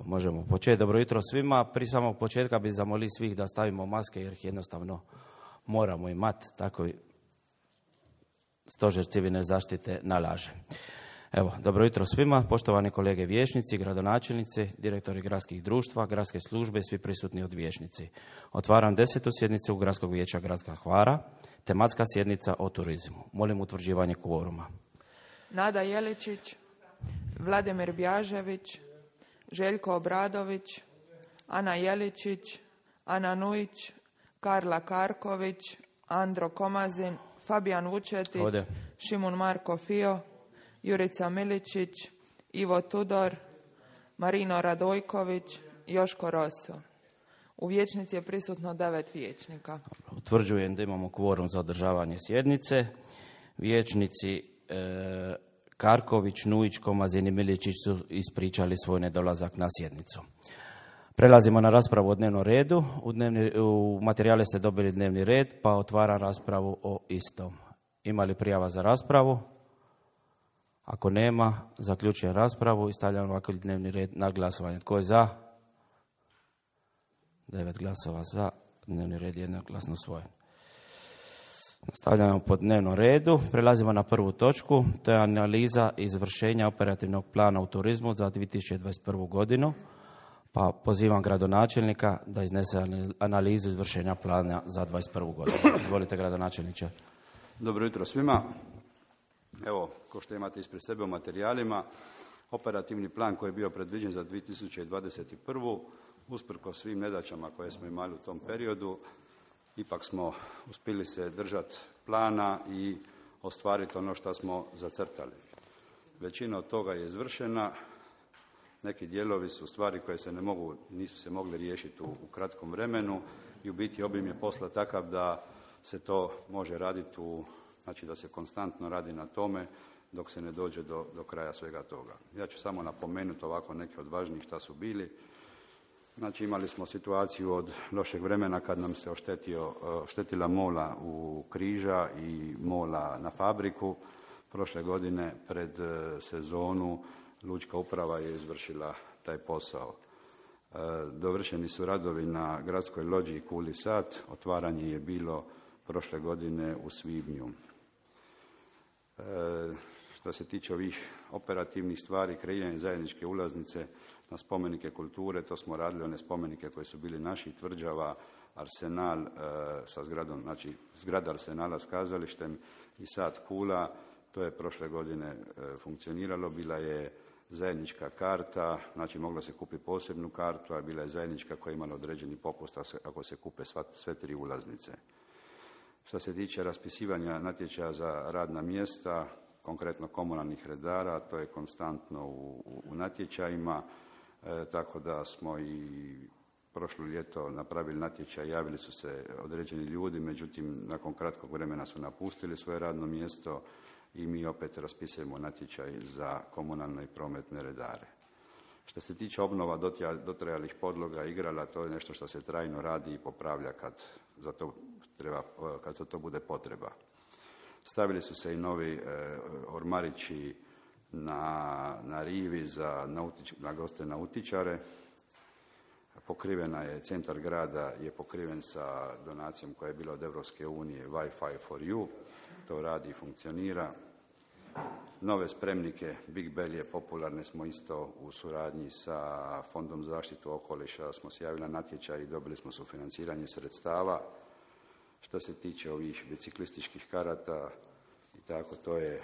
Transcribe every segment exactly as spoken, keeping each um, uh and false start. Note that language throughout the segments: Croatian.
možemo početi. Dobro jutro svima. Prije samog početka bi zamolili svih da stavimo maske jer ih jednostavno moramo imati. Tako i Stožer civilne zaštite nalaže. Evo, dobro jutro svima. Poštovani kolege vijećnici, gradonačelnici, direktori gradskih društva, gradske službe i svi prisutni od vijećnici. Otvaram desetu sjednicu Gradskog vijeća Gradska Hvara, tematska sjednica o turizmu. Molim utvrđivanje kvoruma. Nada Jeličić, Vladimir Bjažević, Željko Obradović, Ana Jeličić, Ana Nujić, Karla Karković, Andro Komazin, Fabijan Vučetić, Ode. Šimun Marko Fio, Jurica Miličić, Ivo Tudor, Marino Radojković, Joško Roso. U vijećnici je prisutno devet vijećnika. Utvrđujem da imamo kvorum za održavanje sjednice. Vijećnici e, Karković, Nujić, Komazin i Miličić su ispričali svoj nedolazak na sjednicu. Prelazimo na raspravu o dnevnom redu. U, dnevni, u materijale ste dobili dnevni red, pa otvaram raspravu o istom. Ima li prijava za raspravu? Ako nema, zaključujem raspravu i stavljam ovakav dnevni red na glasovanje. Tko je za? Devet glasova za. Dnevni red je jednoglasno usvojen. Nastavljamo po dnevnom redu. Prelazimo na prvu točku. To je analiza izvršenja operativnog plana u turizmu za dvije tisuće dvadeset prvu godinu. Pa pozivam gradonačelnika da iznese analizu izvršenja plana za dvadeset prvu godinu. Izvolite, gradonačelniče. Dobro jutro svima. Evo, kao što imate ispred sebe u materijalima, operativni plan koji je bio predviđen za dvije tisuće dvadeset prvu. Usprkos svim nedaćama koje smo imali u tom periodu, ipak smo uspjeli se držati plana i ostvariti ono što smo zacrtali. Većina od toga je izvršena. Neki dijelovi su stvari koje se ne mogu, nisu se mogli riješiti u, u kratkom vremenu i u biti obim je posla takav da se to može raditi u, znači da se konstantno radi na tome dok se ne dođe do, do kraja svega toga. Ja ću samo napomenuti ovako neke od važnijih šta su bili. Znači imali smo situaciju od lošeg vremena kad nam se oštetio, oštetila mola u Križa i mola na Fabriku. Prošle godine pred sezonu Lučka uprava je izvršila taj posao. Dovršeni su radovi na gradskoj lođi Kuli Sat. Otvaranje je bilo prošle godine u svibnju. Što se tiče ovih operativnih stvari, kreiranje zajedničke ulaznice na spomenike kulture, to smo radili one spomenike koji su bili naši, Tvrđava, Arsenal e, sa zgradom, znači zgrada Arsenala s kazalištem i Sat Kula, to je prošle godine e, funkcioniralo, bila je zajednička karta, znači mogla se kupiti posebnu kartu, a bila je zajednička koja je imala određeni popust ako se kupe sva, sve tri ulaznice. Što se tiče raspisivanja natječaja za radna mjesta, konkretno komunalnih redara, to je konstantno u, u, u natječajima, e, tako da smo i prošlo ljeto napravili natječaj, javili su se određeni ljudi, međutim nakon kratkog vremena su napustili svoje radno mjesto i mi opet raspisujemo natječaj za komunalne i prometne redare. Što se tiče obnova dotrajalih podloga igrala, to je nešto što se trajno radi i popravlja kad za to, treba, kad za to bude potreba. Stavili su se i novi e, ormarići na, na rivi za nautič, na goste nautičare. Pokrivena je, centar grada je pokriven sa donacijom koja je bila od Europske unije Wi-Fi for you. To radi i funkcionira. Nove spremnike, Big Bell je popularne, smo isto u suradnji sa Fondom za zaštitu okoliša, smo se javili na natječaj i dobili smo sufinanciranje sredstava. Što se tiče ovih biciklističkih karata i tako, to je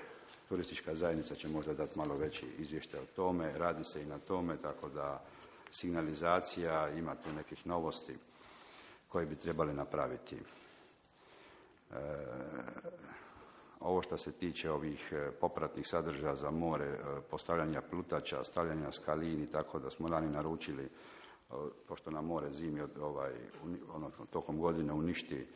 turistička zajednica će možda dati malo veći izvještaj o tome, radi se i na tome, tako da signalizacija, ima tu nekih novosti koje bi trebali napraviti. E, ovo što se tiče ovih popratnih sadržaja za more, postavljanja plutača, stavljanja skalini, tako da smo lani naručili, pošto na more zimi ovaj, ono, tokom godine uništi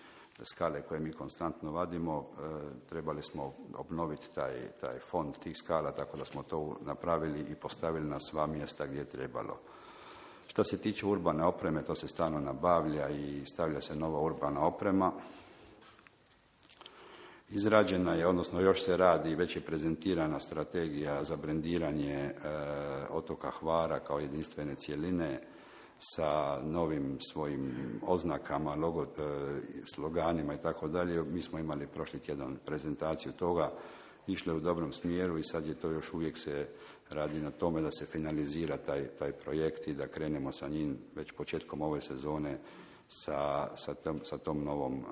skale koje mi konstantno vadimo, e, trebali smo obnoviti taj, taj fond tih skala, tako da smo to napravili i postavili na sva mjesta gdje je trebalo. Što se tiče urbane opreme, to se stalno nabavlja i stavlja se nova urbana oprema. Izrađena je, odnosno još se radi, već je prezentirana strategija za brendiranje e, otoka Hvara kao jedinstvene cjeline sa novim svojim oznakama, logo, e, sloganima i tako dalje. Mi smo imali prošli tjedan prezentaciju toga, išle u dobrom smjeru i sad je to još uvijek se radi na tome da se finalizira taj, taj projekt i da krenemo sa njim već početkom ove sezone sa, sa, tom, sa tom novom, uh,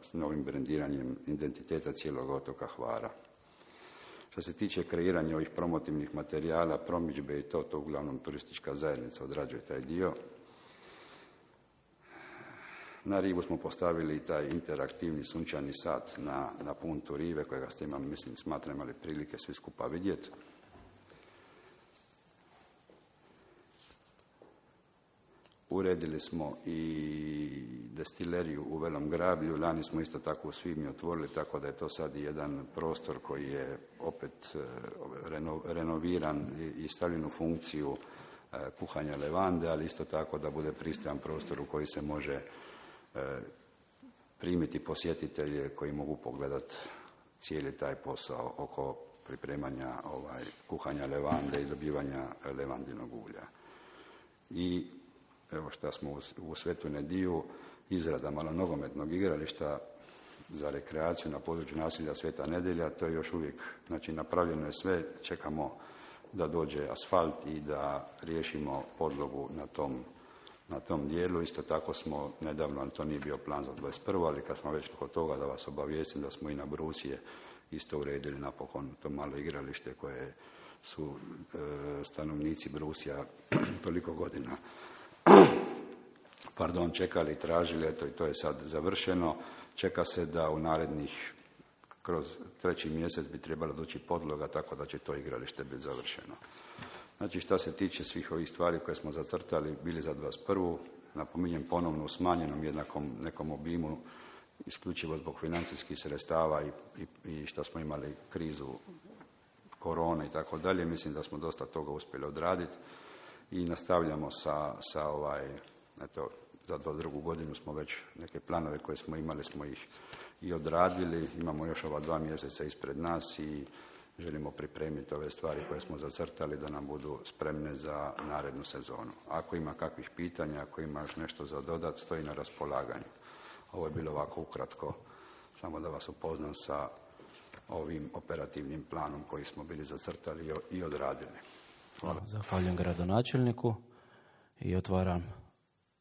s novim brendiranjem identiteta cijelog otoka Hvara. Što se tiče kreiranja ovih promotivnih materijala, promidžbe i to, to uglavnom turistička zajednica odrađuje taj dio. Na rivu smo postavili taj interaktivni sunčani sat na, na puntu rive, kojega ste imali, mislim, smatram imali prilike svi skupa vidjeti. Uredili smo i destileriju u Velom Grablju, lani smo isto tako u svibnju otvorili, tako da je to sad jedan prostor koji je opet reno, renoviran i stavljen u funkciju kuhanja levande, ali isto tako da bude pristojan prostor u koji se može primiti posjetitelje koji mogu pogledati cijeli taj posao oko pripremanja ovaj, kuhanja levande i dobivanja levandinog ulja. I evo šta smo u, u Svetu Nediju, izrada malonogometnog igrališta za rekreaciju na području naselja Sveta Nedjelja, to je još uvijek, znači napravljeno je sve, čekamo da dođe asfalt i da riješimo podlogu na tom, na tom dijelu. Isto tako smo nedavno, ali to nije bio plan za dvadeset prvu ali kad smo već kod toga da vas obavijestim da smo i na Brusije isto uredili napokon to malo igralište koje su e, stanovnici Brusija toliko godina pardon, čekali i tražili, eto i to je sad završeno. Čeka se da u narednih, kroz treći mjesec bi trebala doći podloga, tako da će to igralište biti završeno. Znači, šta se tiče svih ovih stvari koje smo zacrtali, bili za dvadeset prvu napominjem ponovno u smanjenom jednakom nekom obimu, isključivo zbog financijskih sredstava i, i, i što smo imali krizu korone i tako dalje, mislim da smo dosta toga uspjeli odraditi i nastavljamo sa, sa ovaj, eto, za dvadeset drugu godinu smo već neke planove koje smo imali, smo ih i odradili. Imamo još ova dva mjeseca ispred nas i želimo pripremiti ove stvari koje smo zacrtali da nam budu spremne za narednu sezonu. Ako ima kakvih pitanja, ako ima još nešto za dodat, stoji na raspolaganju. Ovo je bilo ovako ukratko, samo da vas upoznam sa ovim operativnim planom koji smo bili zacrtali i odradili. Hvala. Zahvaljujem gradonačelniku i otvaram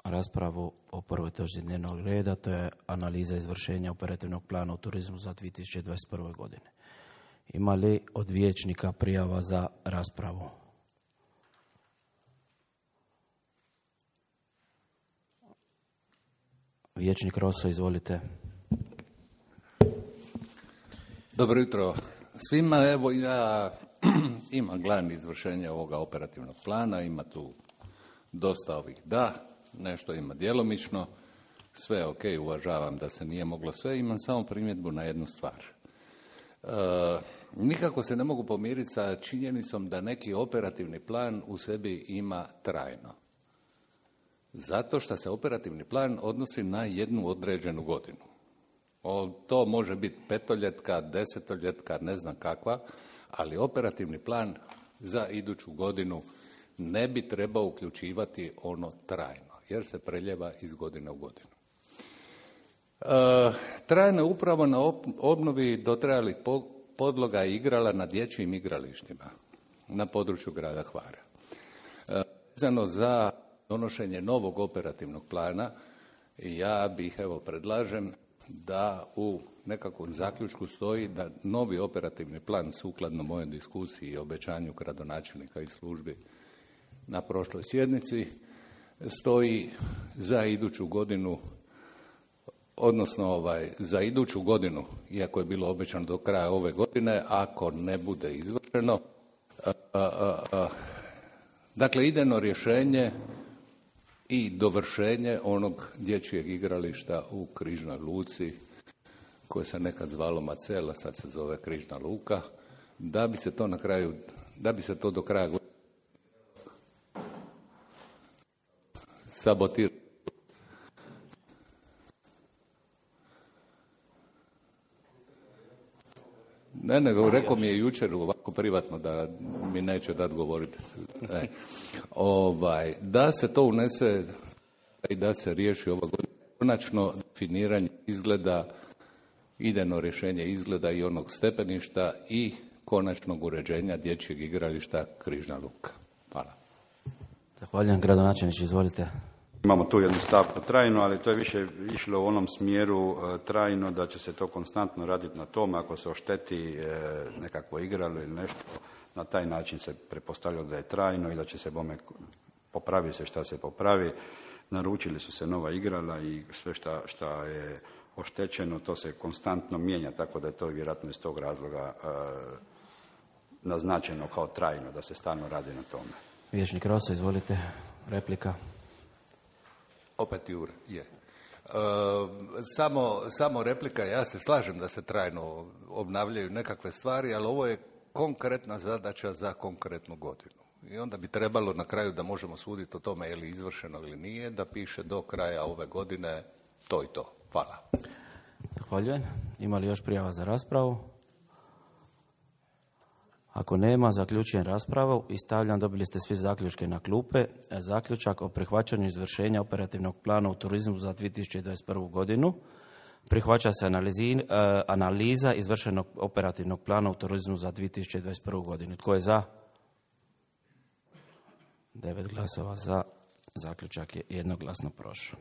raspravu o prvoj točci dnevnog reda, to je analiza izvršenja operativnog plana u turizmu za dvije tisuće dvadeset prve. godine. Ima li od vijećnika prijava za raspravu? Vijećnik Roso, izvolite. Dobro jutro svima. Evo ja imam glavni izvršenje ovoga operativnog plana, ima tu dosta ovih da, nešto ima djelomično, sve ok, uvažavam da se nije moglo sve, imam samo primjedbu na jednu stvar. E, nikako se ne mogu pomiriti sa činjenicom da neki operativni plan u sebi ima trajno. Zato što se operativni plan odnosi na jednu određenu godinu. O, to može biti petoljetka, desetoljetka, ne znam kakva, ali operativni plan za iduću godinu ne bi trebao uključivati ono trajno, jer se preljeva iz godine u godinu. E, trajno je upravo na obnovi dotrajalih podloga i igrala na dječjim igralištima na području grada Hvara. E, vezano za donošenje novog operativnog plana, ja bih, evo, predlažem da u nekakvom zaključku stoji da novi operativni plan, sukladno mojoj diskusiji i obećanju gradonačelnika i službi na prošloj sjednici, stoji za iduću godinu, odnosno ovaj, za iduću godinu, iako je bilo obećano do kraja ove godine, ako ne bude izvršeno. A, a, a, dakle, idejno rješenje i dovršenje onog dječjeg igrališta u Križnoj luci, koje se nekad zvalo Macela, sad se zove Križna luka, da bi se to na kraju, da bi se to do kraja godine sabotiralo. Ne, nego rekao mi je jučer ovako privatno da mi neće dati govoriti. E, ovaj, da se to unese i da se riješi ova godina. Konačno definiranje izgleda, idejno rješenje izgleda i onog stepeništa i konačnog uređenja dječjeg igrališta Križna Luka. Hvala. Zahvaljujem, gradonačelniče, izvolite. Imamo tu jednu stavku trajno, ali to je više išlo u onom smjeru e, trajno da će se to konstantno raditi na tome. Ako se ošteti e, nekakvo igralo ili nešto, na taj način se pretpostavljalo da je trajno i da će se bome popravi se šta se popravi. Naručili su se nova igrala i sve šta, šta je oštećeno, to se konstantno mijenja, tako da je to vjerojatno iz tog razloga e, naznačeno kao trajno, da se stalno radi na tome. Vijećnik Roso, izvolite, replika. Opet Jure, je. E, samo, samo replika, ja se slažem da se trajno obnavljaju nekakve stvari, ali ovo je konkretna zadaća za konkretnu godinu. I onda bi trebalo na kraju da možemo suditi o tome je li izvršeno ili nije, da piše do kraja ove godine to i to. Hvala. Zahvaljujem. Ima li još prijava za raspravu? Ako nema, zaključujem raspravu i stavljam, dobili ste svi zaključke na klupe. Zaključak o prihvaćanju izvršenja operativnog plana u turizmu za dvije tisuće dvadeset prvu godinu. Prihvaća se analizi, uh, analiza izvršenog operativnog plana u turizmu za dvije tisuće dvadeset prvu godinu. Tko je za? Devet glasova za. Zaključak je jednoglasno prošao.